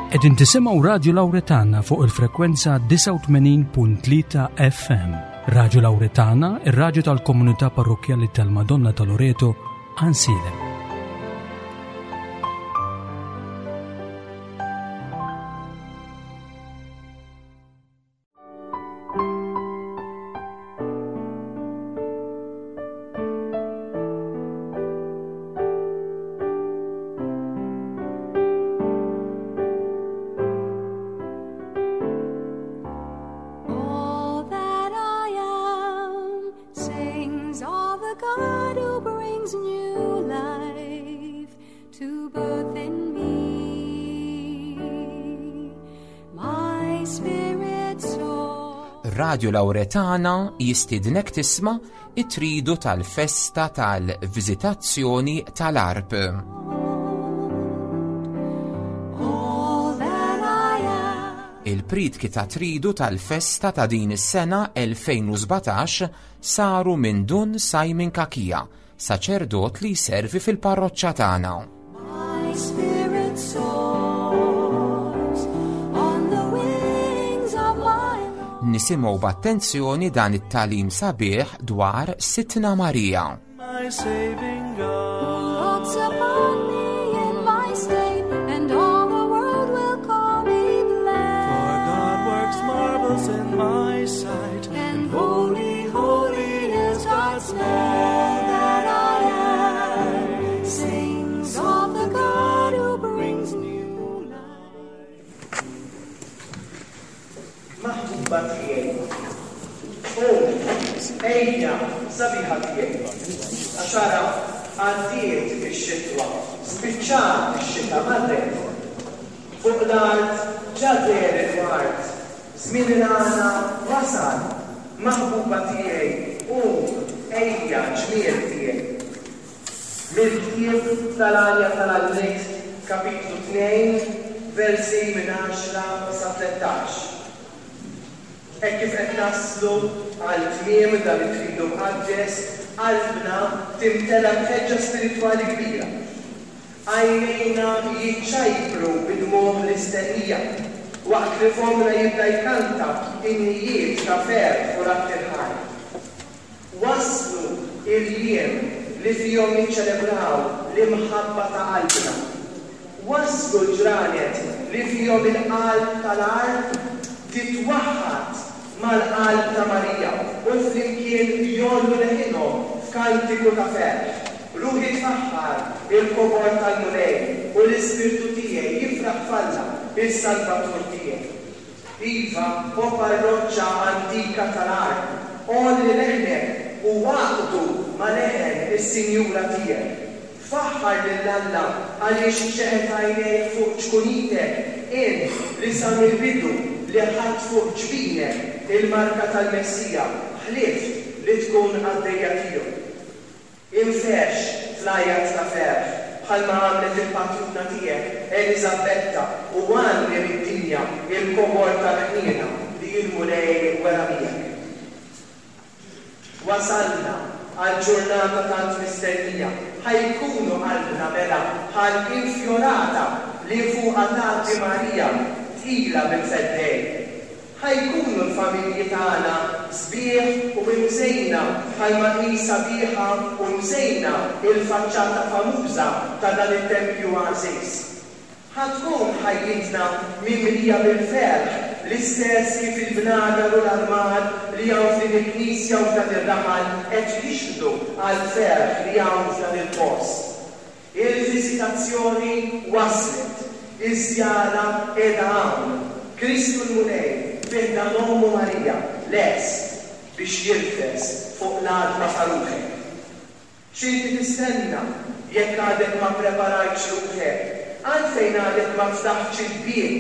Qegħdin tisimgħu Radju Lawretana fuq il-frekwenza 89.3 FM. Radju Lawretana, ir-radju tal-komunità parrokkjali tal-Madonna ta' Loreto, Ansilem. All that I am sings of the God who brings new life to birth in me. My spirit soul. Radio Lauretana jistidnek tisma' it-tridu tal-festa tal-viżitazzjoni tal-Arp. All that I am. Il-pritki ta' tridu tal-festa ta' din is-sena 2017 saru minn Dun Simon Kakija, saċerdot li jservi fil-parroċċa tagħna. My spirit soars on the wings of my Lord. Nisimgħu b'attenzjoni dan it-talim sabiħ dwar Sitna Marija. My saving God. Looks upon me in my state, and all the world will call me For blessed. God works marvels in my sight, And holy, holy is God's name. All that I am sings of the God who brings new life. Maħbuba tiegħi. Qum, ejja, sabiħa tiegħi. Għax ara għaddiet ix-xitwa, spiċċat ix-xita marret. Fuq l-art ġa deher il-ward, żmien il-għana wasal. Maħbuba tiegħi, qum, ejja, ġmiel tiegħi. Mill-ktieb tal-Għanja tal-Għalliet, kapitlu 2, versi minn 10 sa 13. Hekk kif qed naslu għal tmiem dan it-tridu mqaddes, qalbna timtela b'ħeġġa spiritwali kbira. Għajnejna jiċċajpru bid-dmugħ l-istennija, waqt li fomna jibda jkanta innijiet ta' ferħ u radd il-ħajr. Waslu il-jiem li fihom niċċelebraw l-imħabba ta' qalbna. Waslu l-ġranet li fihom il-qalb tal-art titwaħħad mal-qalb ta' Marija u flimkien jgħollu leħinhom f'kantiku ta' ferħ. Ruħi tfaħħar il-kobor tal-Mulej u l-ispirtu tiegħi jifraħ f'Alla, is-Salvatur tiegħi. Iva, o parroċċa antika tal-art, għolli leħnek u għaqdu ma' leħen is-Sinjura tiegħek. Faħħar lil Alla għaliex xeħet għajnejh fuq ċkunitek, int li sa mill-bidu li ħadt fuq ġbinek il-marka tal-Messija, ħlift li tkun qaddejja tiegħu. Infexx fl-għajat ta' ferħ, bħalma għamlet il-patruna tiegħek Eliżabetta u għanni lid-dinja il-kobor tal-ħniena li l-Mulej wera miegħek. Wasalna għal ġurnata tant mistennija, ħa jkunu qalbna mela bħal infjorata li fuqha tgħaddi Marija tqila bil-Feddej. Ħa jkunu l-familji tagħna sbieħ u imżejna bħalma hi sabiħa u mżejna il-faċċata famuża ta' dan it-tempju għażiż. Ħa tkun ħajjitna mimlija bil-ferħ l-istess kif il-bnadar u l-armar li hawn f'din il-knisja u f'dan ir-raħal qed jixhdu għall-ferħ li hawn f'dan il-post. Il-viżitazzjoni waslet, iż-żjara qiegħda hawn. Kristu l-Mulej fi ħdan Ommu Marija lest biex jirfes fuq l-għatba ta' ruħek. X'inti tistenna jekk għadek ma ppreparajtx ruħek? Għalfejn għadek ma ftaħtx il-bieb?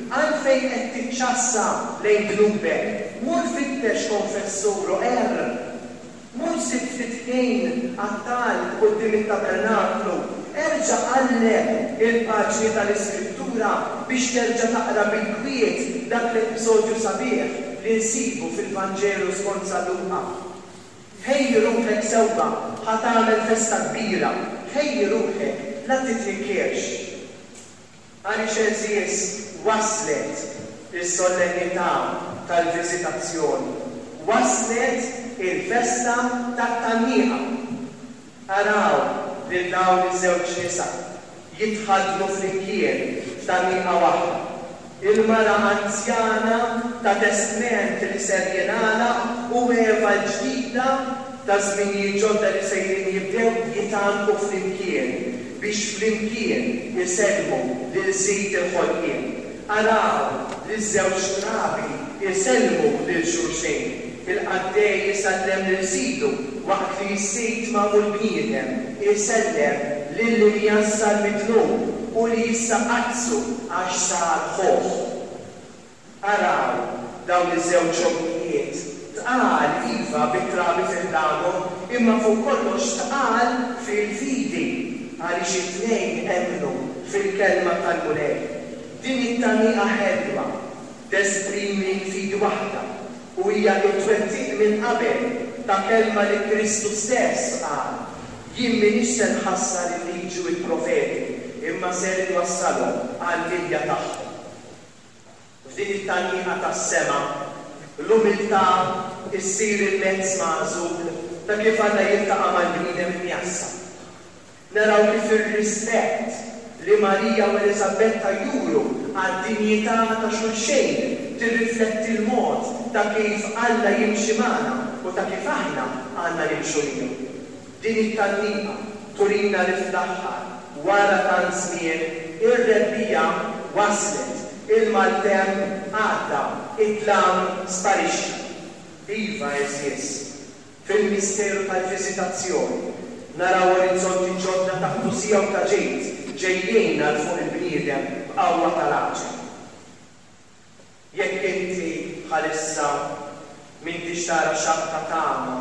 Għalfejn qed tiċċassa lejn dnubek? Mur fittex konfessur u qerr. Mur sib ftit ħin għat-talb quddiem it-tabernaklu. Erġa' qalleb il-paġni tal-Iskrittura biex terġa' taqra bil-kwiet dak l-episodju sabiħ li nsibu fil-Vanġelu skont San Luqa. Ħejji ruħek sewwa, ħa tagħmel festa kbira, ħejji ruħek, la titnikkirx. Għaliex għeżież waslet is-sollennità tal-Viżitazzjoni, waslet il-festa tat-Tgħanniqa. Araw lil dawn iż-żewġ nisa jitħaddnu flimkien f'tgħanniqa waħda. Il-mara anzjana ta' testment li ser jingħalaq u Eva l-ġdida ta' żminijiet ġodda li sejrin jibdew jitgħannqu flimkien biex flimkien isellmu lil Sid il-ħolqien. Araw liż-żewġ trabi jsellmu lil xulxejn, il-qaddej isellem lil sidu waqt li s-sid magħmul bniedem isellem lill-imjassar mid-dnub u li issa qaddsu għax sar ħuh. Araw dawn iż-żewġ ommijiet, tqal, iva, bit-trabi fi ħdanhom, imma fuq kollox tqal fil-fidi, għaliex it-tnejn emmnu fil-kelma tal-Mulej. Din it-tgħanniqa ħelwa tesprimi fidi waħda u hija t-twettiq minn qabel ta' kelma li Kristu stess qal, Jien m'iniex se nħassar il-Liġi u l-Profeti, imma ser inwassalhom għall-milja tagħhom. F'din it-tgħanniqa tas-sema, l-umiltà ssir il-mezz magħżul ta' kif Alla jiltaqa' mal-bniedem imjassar. Naraw kif ir-rispett li Marija u Eliżabetta juru għad-dinjità ta' xulxejn tirrifletti l-mod ta' kif Alla jimxi magħna u ta' kif aħna għandna nimxu miegħu. Din it-tgħanniqa turina li fl-aħħar, wara tant żmien, ir-rebbiegħa waslet, il-maltemp għadda, id-dlam sparixxa. Iva, għeżież, fil-misteru tal-viżitazzjoni naraw orizzonti ġodda ta' qdusija u ta' ġid ġejjin għal fuq il-bniedem b'qawwa tal-għaġeb. Jekk inti bħalissa m'intix tara xaqq ta' tama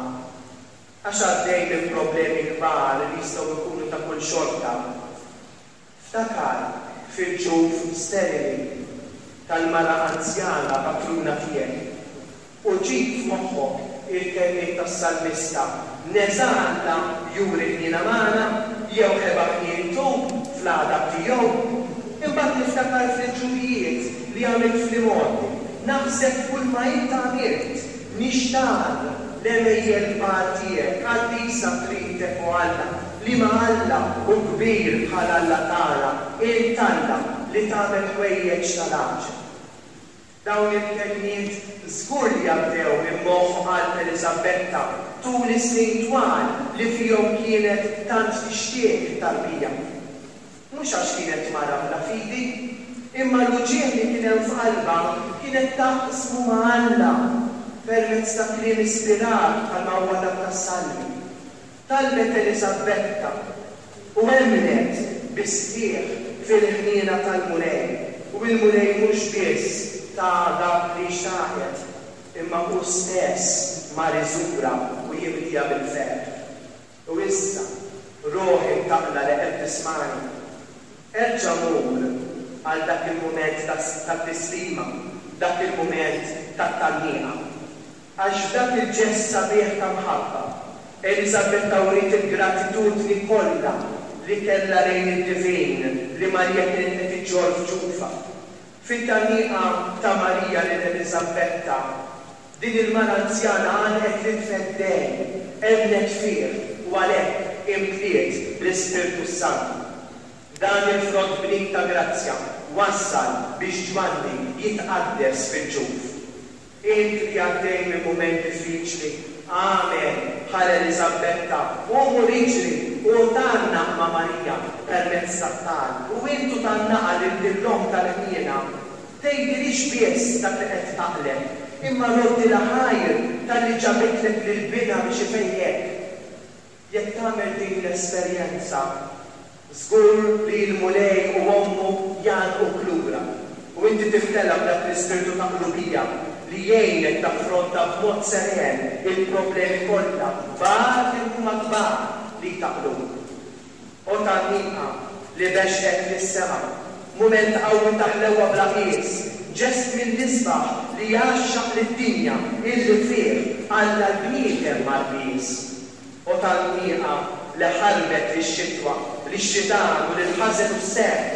għax għaddej minn problemi kbar li jistgħu jkunu ta' kull xorta, ftakar fil-ġuf sterili tal-mara anzjana patruna tiegħek U ġib f'moħħok il-kelmiet tas-salmista, Neża' Alla juri ħniena magħna, jew ħeba ħnientu fl-għadab tiegħu? Imbagħad niftakar fl-għeġubijiet li għamilt fl-imgħoddi, naħseb f'kulma int għamilt, nixtarr l-għemejjel kbar tiegħek, qaddisa triqtek, o Alla, liema Alla hu kbir bħal Alla tagħna, int Alla li tagħmel ħwejjeġ tal-għaġeb. Dawn il-kelmiet żgur li għaddew minn moħħ u qalb Eliżabetta tul is-snin twal li fihom kienet tant tixtieq it-tarbija. Mhux għax kienet mara bla fidi, imma l-uġigħ li kien hemm f'qalbha kienet taqsmu ma' Alla permezz ta' kliem ispirat bħalma huwa dak tas-Salmi. Talbet Eliżabetta u emmnet bis-sħiħ fil-ħniena tal-Mulej, u l-Mulej mhux biss taha dak li xtaqet, imma hu stess mar iżurha u jimliha bil-ferħ. U issa, ruħ imtaqqla li qed tismagħni, erġa' mur għal dak il-mument tat-tislima, dak il-mument tat-tgħanniqa. Għax f'dak il-ġest sabiħ ta' mħabba, Eliżabetta wriet il-gratitudni kollha li kellha lejn id-Divin li Marija kienet qed iġġorr f'ġufha. Fit-tgħanniqa ta' Marija lil Eliżabetta, din il-mara anzjana għannqet lill-Feddej, emmnet fih u għalhekk imtliet bl-Ispirtu s-Santu. Dan il-frott bnin ta' grazzja wassal biex Ġwanni jitqaddes fil-ġuf. Int li għaddej minn mument diffiċli, agħmel bħal Eliżabetta, qum u iġri u tgħannaq ma' Marija permezz tat-talb. U int u tgħannaqha lil din l-Omm tal-ħniena, tgħidilhiex biss dak li qed taqleb, imma roddilha ħajr talli ġabitlek lil Binha biex ifejqek. Jekk tagħmel din l-esperjenza, żgur li l-Mulej u Ommu jgħannquk lura, u inti timtela b'dak l-ispirtu ta' qlubija li jgħinek taffronta b'mod seren il-problemi kollha, kbar kemm huma kbar, li jtaqqluk. O tgħanniqa li bexqet lis-sema, mument qawwi ta' ħlewwa bla qies, ġest mill-isbaħ li jgħaxxaq lid-dinja illi fih Alla l-bniedem mar qies. O tgħanniqa li ħarbet lix-xitwa, lix-xitan u lill-ħażen u s-serq!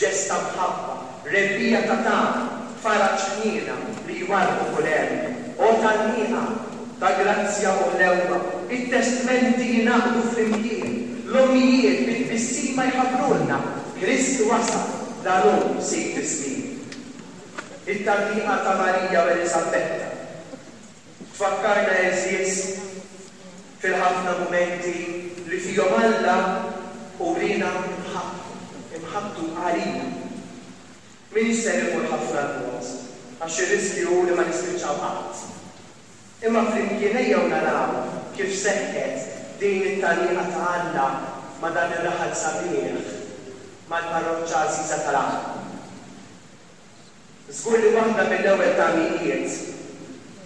Ġest ta' mħabba, rebbiegħa ta' tama, faraġ ħniena li jwarrbu kull għerq. O tgħanniqa ta' grazzja u ħlewwa, it-testmenti jingħaqdu flimkien, l-ommijiet bi tbissima jħabbrulna, Kristu wasal, dan hu Sid iż-żmien. It-tgħanniqa ta' Marija u Eliżabbetta tfakkarna għeżież fil-ħafna mumenti li fihom Alla uriena imħabbtu, imħabbtu għalina. M'iniex ser immur ħafna 'l bogħod, għax ir-riskju hu li ma nispiċċaw qatt. Imma flimkien ejjew naraw kif seħħet din it-tgħanniqa ta' Alla ma' dan ir-raħal sabiħ, mal-parroċċa għażiża tal-Għarb. Żgur li waħda mill-ewwel tgħanniqiet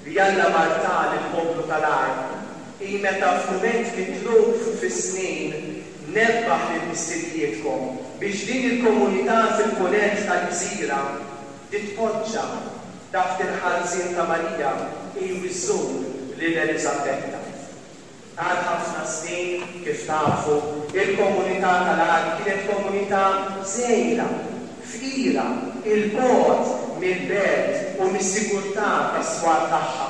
li Alla mar ta lill-poplu tal-Għarb hi meta f'mument mitluf fis-snin nebbaħ lil missirijietkom biex din il-komunità fil-Punent tal-gżira titpoġġa taħt il-ħarsien ta' Marija hi u żżur lil Eliżabetta. Għal ħafna snin, kif tafu, il-komunità tal-Għarb kienet komunità żgħira, fqira, 'il bogħod mill-belt u mis-sigurtà tas-swar tagħha.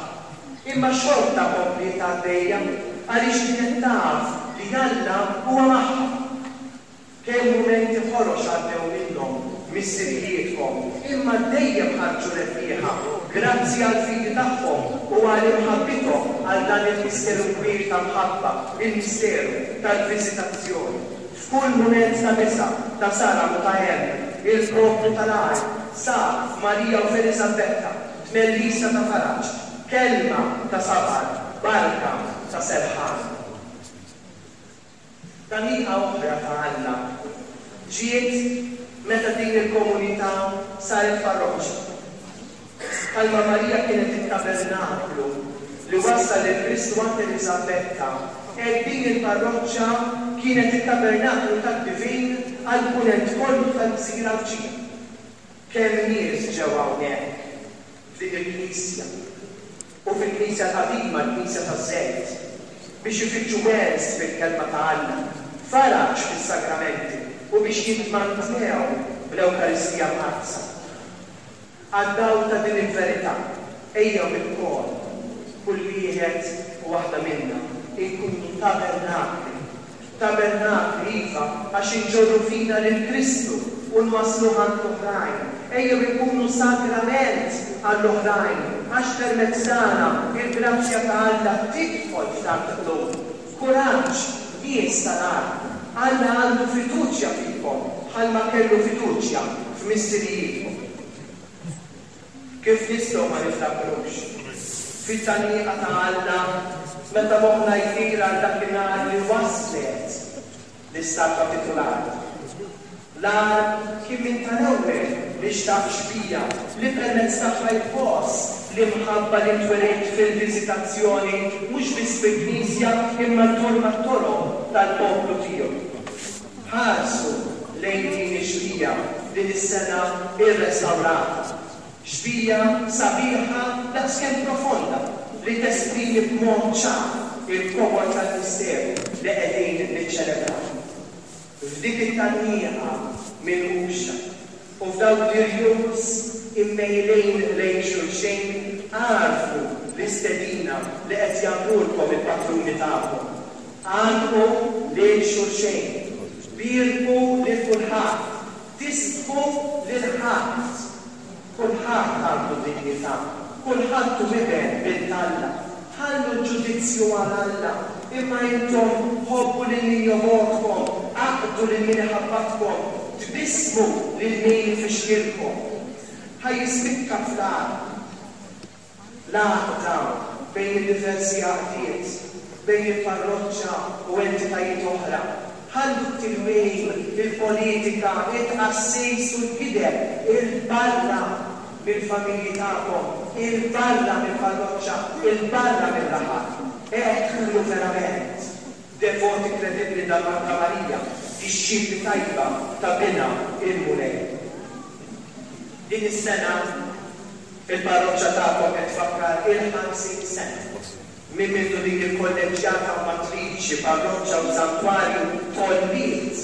Imma xorta kompliet għaddejja għaliex kienet taf li Alla huwa magħha. Kemm mumenti ħorox għaddew minnhom missirijietkom, imma dejjem ħarġu rebbieħa, grazzi għall-fidi tagħhom u għal imħabbithom għal dan il-misteru kbir ta' mħabba, il-misteru tal-viżitazzjoni. F'kull mument ta' biża', ta' saram u ta' hemm, il-poplu tal-Għarb sab f'Marija u f'Eliżabbetta tmellisa ta' faraġ, kelma ta' sabar, barka ta' serħan. Tgħanniqa oħra ta' Alla ġiet meta din il-komunità saret parroċċa. Bħalma Marija kienet it-tabernaklu li wassal lil Kristu għand Eliżabbetta, hekk din il-parroċċa kienet it-tabernaklu tad-divin għall-punent kollu tal-gżira Għawdxija. Kemm nies ġew hawnhekk f'din il-knisja u fil-knisja l-qadima, l-knisja taż-Żejt, biex ifittxu wens fil-Kelma ta' Alla, faraġ fis-sagramenti u biex jitmantnew bl-Ewkaristija Mqaddsa. Għad-dawl ta' din il-verità, ejjew ilkoll, kull wieħed u waħda minna, inkunu tabernakli Tabernakli, iva, għax inġorru fina lil Kristu u nwassluh għand l-oħrajn. Ejjew inkunu sagrament għall-oħrajn, għax permezz tagħna il-grazzja ta' Alla tidħol f'tant qlub. Kuraġġ, nies tal-art! Alla għandu fiduċja fikom bħalma kellu fiduċja f'missirijietkom. Kif nistgħu ma niftakrux fit-tgħanniqa ta' Alla meta moħħna jtir għal dakinhar li waslet l-istatwa titulari? L-agħar kien minn tal-ewwel li xtaq xbieha li permezz tagħha jħoss l-imħabba li ntweriet fil-viżitazzjoni mhux biss fil-knisja imma ddur mat-toroq tal-poplu tiegħu. Ħarsu lejn din ix-xbieha din is-sena rrestawrata. Xbieha sabiħa daqskemm profonda li tesprimi b'mod ċar il-kobor tal-misteru li qegħdin niċċelebraw. F'dik it-tgħanniqa minquxa u f'dawk l-irjus immejlin lejn xulxin agħrfu l-istedina li qed jagħmlulkom il-patruni tagħkom. Għannqu lil xulxejn, bierku lil kulħadd, tistħu lil ħadd. Kulħadd għandu dinjità, kulħadd hu iben, bint Alla. Ħallu l-ġudizzju għal Alla, imma intom ħobbu lil min jobgħodkom, aqdu lil min iħabbatkom, tbissmu lil min ifixkilkom. Ħa jispikka fl-għarb. L-għaqda bejn id-diversi għaqdiet, bejn il-parroċċa u entitajiet oħra. Ħallu t-tilwim, il-politika, it-tqassis u l-gideb 'il barra mill-familji tagħkom, 'il barra mill-parroċċa, 'il barra mir-raħal. Hekk kunu verament devoti kredibbli ta' Marija, dixxipli tajba ta' Binha il-Mulej. Din is-sena, Il-parroċċa tagħkom qed tfakkar il-50 sena minn mindu din il-kolleġġjata matriċi, parroċċa u santwarju tgħolliet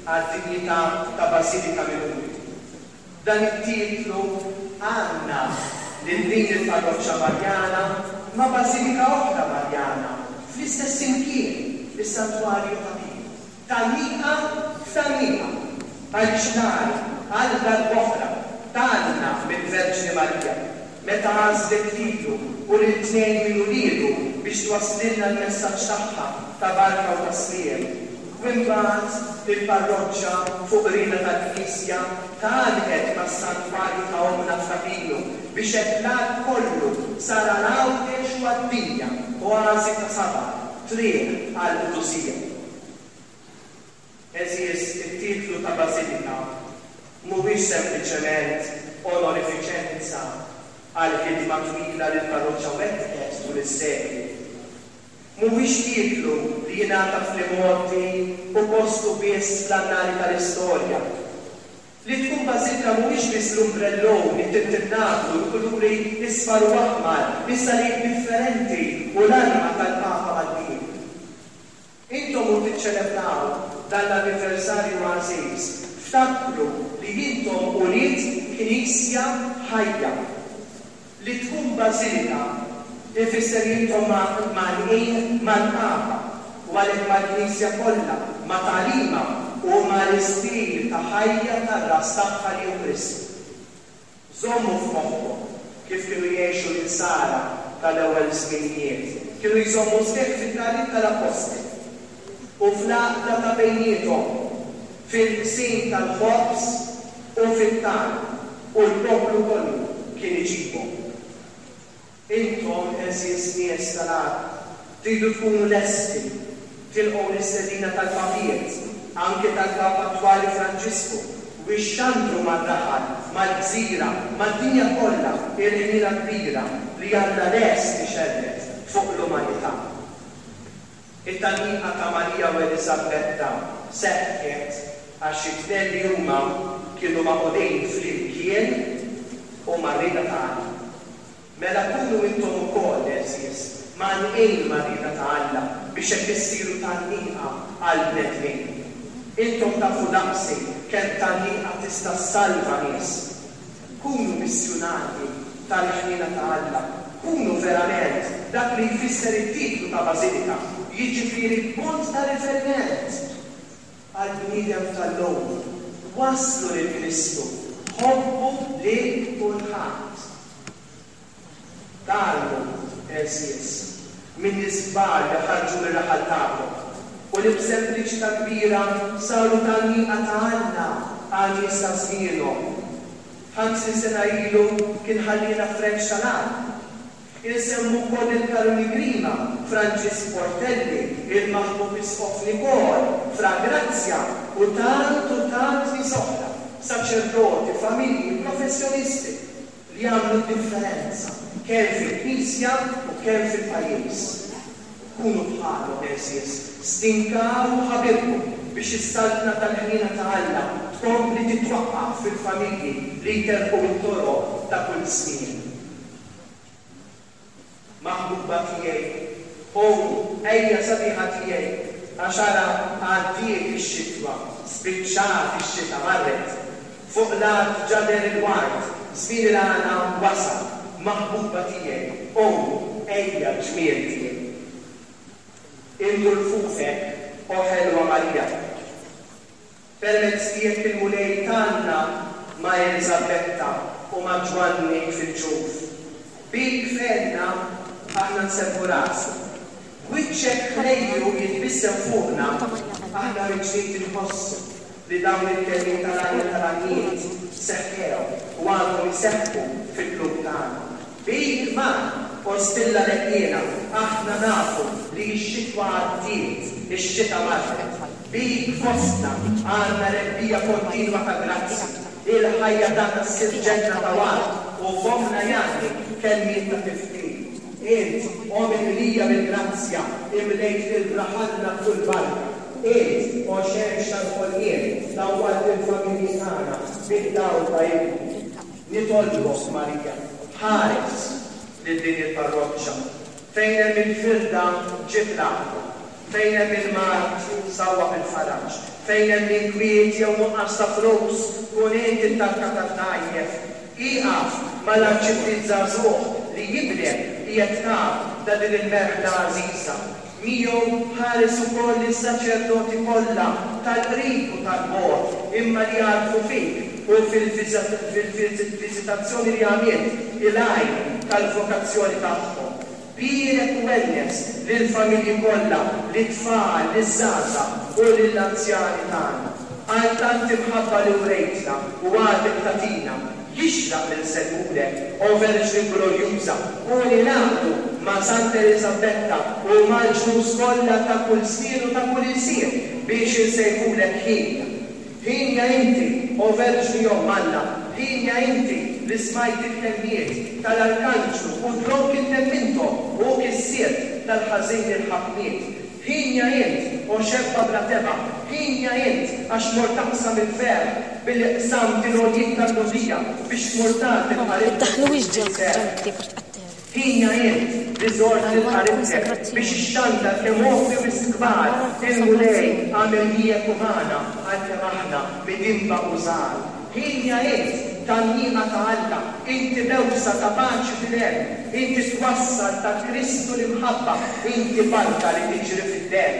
għad-dinjità ta' bażilika minuri. Dan it-titlu għandna lil din il-parroċċa Marjana ma' bażilika oħra Marjana fl-istess imkien, is-Santwarju ta' Pinu. Tgħanniqa f'tgħanniqa, għaliex l-għan għal darb'oħra tgħanna mill-Verġni Marija meta għażlet lilu u lil tnejn minn uliedu biex twasslilna l-messaġġ tagħha ta' barka u ta' sliem. U imbagħad il-parroċċa fuq rieda tal-Knisja tgħannqet mas-Santwarju ta' Ommna f'Ta' Pinu biex hekk l-għalb kollu sar għal Għawdex u għad-dinja oażi ta' sabar, triq għall-qdusija. Għeżież, it-titlu ta' Bażilika mhuwiex sempliċement onorifiċenza għall-ħidma twila li l-parroċċa wettqet tul is-sekli. Mhuwiex titlu li jingħata fl-imgħoddi u postu biss fl-annali tal-istorja. Li tkun bażilika mhuwiex biss l-umbrellun, it-tintinnablu, il-kuluri isfar u aħmar, is-salib differenti u l-arma tal-Papa mal-bieb. Intom u tiċċelebraw dan l-anniversarju għażiż, ftakru li intom ulied Knisja ħajja. Li tkun bażilika ifisser li intom mgħannqin mal-Papa u għalhekk mal-Knisja kollha, ma' tagħlimha u mal-istil ta' ħajja tar-Ras tagħha li hu Kristu. Żommu f'moħħkom kif kienu jgħixu l-Insara tal-ewwel żminijiet, kienu jżommu sħiħ fit-tagħlim tal-Appostli u fl-għaqda ta' bejniethom, fil-qsim tal-ħobż u fit-talb, u l-poplu kollu kien iġibhom. Intom, għeżież nies tal-art, tridu tkunu lesti tilqgħu l-istedina tal-Papiet, anke tal-Papa attwali Franġisku, u ixxandru mar-raħal, mal-gżira, mad-dinja kollha il-ħniena kbira li Alla lest ixerred fuq l-umanità. It-tgħanniqa ta' Marija u Eliżabbetta seħħet għax it-tnejn li huma kienu magħqudin flimkien u mar-rieda ta' Alla. Mela kunu intom ukoll, għeżież, mgħannqin mar-rieda ta' Alla biex hekk issiru tgħanniqa għall-bnedmin. Intom tafu daqsi kemm tgħanniqa tista' ssalva nies. Kunu missjunarji tal-ħniena ta' Alla, kunu verament dak li jfisser it-titlu ta' bażilika, jiġifieri punt ta' riferiment għall-bniedem tal-lum. Wasslu lil Kristu, ħobbu lil kulħadd. Tgħallmu, għeżież, minn nies kbar li ħarġu mir-raħal tagħkom u li b'sempliċità kbira saru tgħanniqa ta' Alla għal nies ta' żmienhom. 50 sena ilu kien ħalliena Frenċ tal-Għarb. Insemmu wkoll lil Karuni Grima, Franġisk Portelli, il-maħbub Isqof Nikol, Fra Grazzja u tant u tant nies oħra, saċerdoti, familji, professjonisti, li jagħmlu d-differenza kemm fil-Knisja u kemm fil-pajjiż. Kunu bħalhom, għeżież, stinkaw u ħabirku biex is-saltna tal-ħniena ta' Alla tkompli titwaqqaf fil-familji li jterrqu t-toroq ta' kull żmien. Maħbuba tiegħi, qum, ejja sabiħa tiegħi, għax ara għaddiet ix-xitwa, spiċċat ix-xita, marret. Fuq l-art ġa deher il-ward, żmien il-għana wasal. Maħbuba tiegħi, qum, ejja ġmiel tiegħi. Indur fuqek, o ħelwa Marija. Permezz tiegħek il-Mulej tgħanna ma' Eliżabetta u ma' Ġwanni fil-ġuf. Bik f'għenna aħna nsebbħu rasna. B'wiċċek ħlejju jitbissem fuqna, aħna mill-ġdid inħossu li dawn il-kelmiet tal-għanja tal-għanjiet seħħew u għadhom iseħħu fil-qlub tagħna. Bik magħna, o stilla leħħiena, aħna nafu li x-xitwa għaddiet, ix-xita marret. Bik fostna għandna rebbiegħa kontinwa ta' grazzji. Il-ħajja tagħna ssir ġenna ta' ward u fommna jgħanni kelmiet ta' tifħir. Int, o mimlija bil-grazzja, imlejt lil raħalna b'kull barka. Int, o xemx tal-ħolqien, dawwalt lill-familji tagħna bid-dawl ta' Ibnek. Nitolbok, Marija, ħares lil din il-parroċċa. Fejn hemm il-firda, ġib l-għaqda. Fejn hemm il-mard, sawwab il-faraġ. Fejn hemm inkwiet jew nuqqas ta' flus, kun int it-tarka tad-dgħajjef. Ieqaf mal-arċipriet żagħżugħ li ibnek qiegħed kap ta' din il-merħla għażiża. Miegħu ħares ukoll lis-saċerdoti kollha tal-qrib u tal-bogħod imma li jagħrfu fik u fil-viżitazzjoni li għamilt il-għajn tal-vokazzjoni tagħhom. Bierek u wennes lill-familji kollha, lit-tfal, liż-żgħażagħ u lill-anzjani tagħna. Għal tant imħabba li wrejtna u għadek tagħtina, jixraq li nsellmulek, O Verġni Glorjuża, u ningħaqdu ma' Santa Eliżabetta u mal-ġnus kollha ta' kull żmien u ta' kull ilsien biex insejħulek ħin. Hienja inti, o Verġni Omm Alla, hienja inti li smajt il-kelmiet tal-arkanġlu u dlonk int emminthom u kissirt tal-ħażin il-ħakmiet. Hienja int, o xebba bla tebgħa, hienja int għax mort taqsam il-ferħ billi qsamt il-għoljiet tal-mogħdija biex tmur tagħti l-qaribtek il-ferħ. Ħinja int li żort lil qaribtek biex ixxandar kemm opri wisq kbar il-Mulej għamel miegħek u magħna għalkemm aħna midinba u żgħar. Ħinja int, tgħanniqa ta' Alla, inti bewsa ta' paċi fil-hemm, inti twassal ta' Kristu l-imħabba, inti barka li tiġri fid-demm.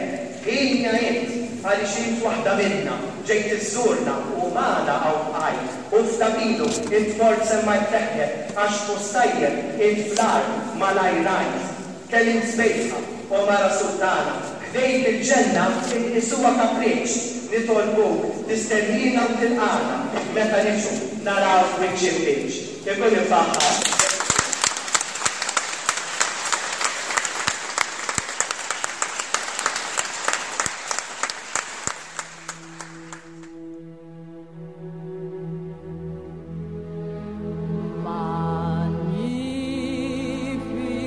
Ħinja int, għaliex int waħda minna, ġejt iżżurna u magħna hawn bqajt. U f'Tabinu int mort semmajt leħnek għax post tajjeb int fl-art malajr rajt. Kemm int sbejħa, o mara sultana, ħdejk il-ġenna inqisuha kapriċċ, nitolbuk tistenniena u tilqagħna meta niġu narawk wiċċ imbiċċ. Ikun imfaħħar.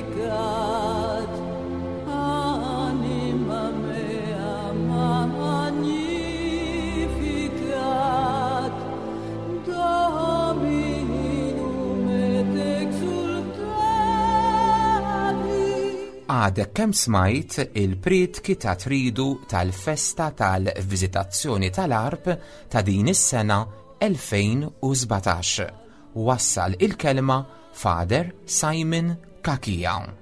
Magnificat, anima mea, magnificat, Dominum et exultavi. Għadek kemm smajt il-prietki ta' tridu tal-festa tal-Viżitazzjoni tal-Għarb ta' din is-sena 2017. Wassal il-kelma Father Simon Cachia.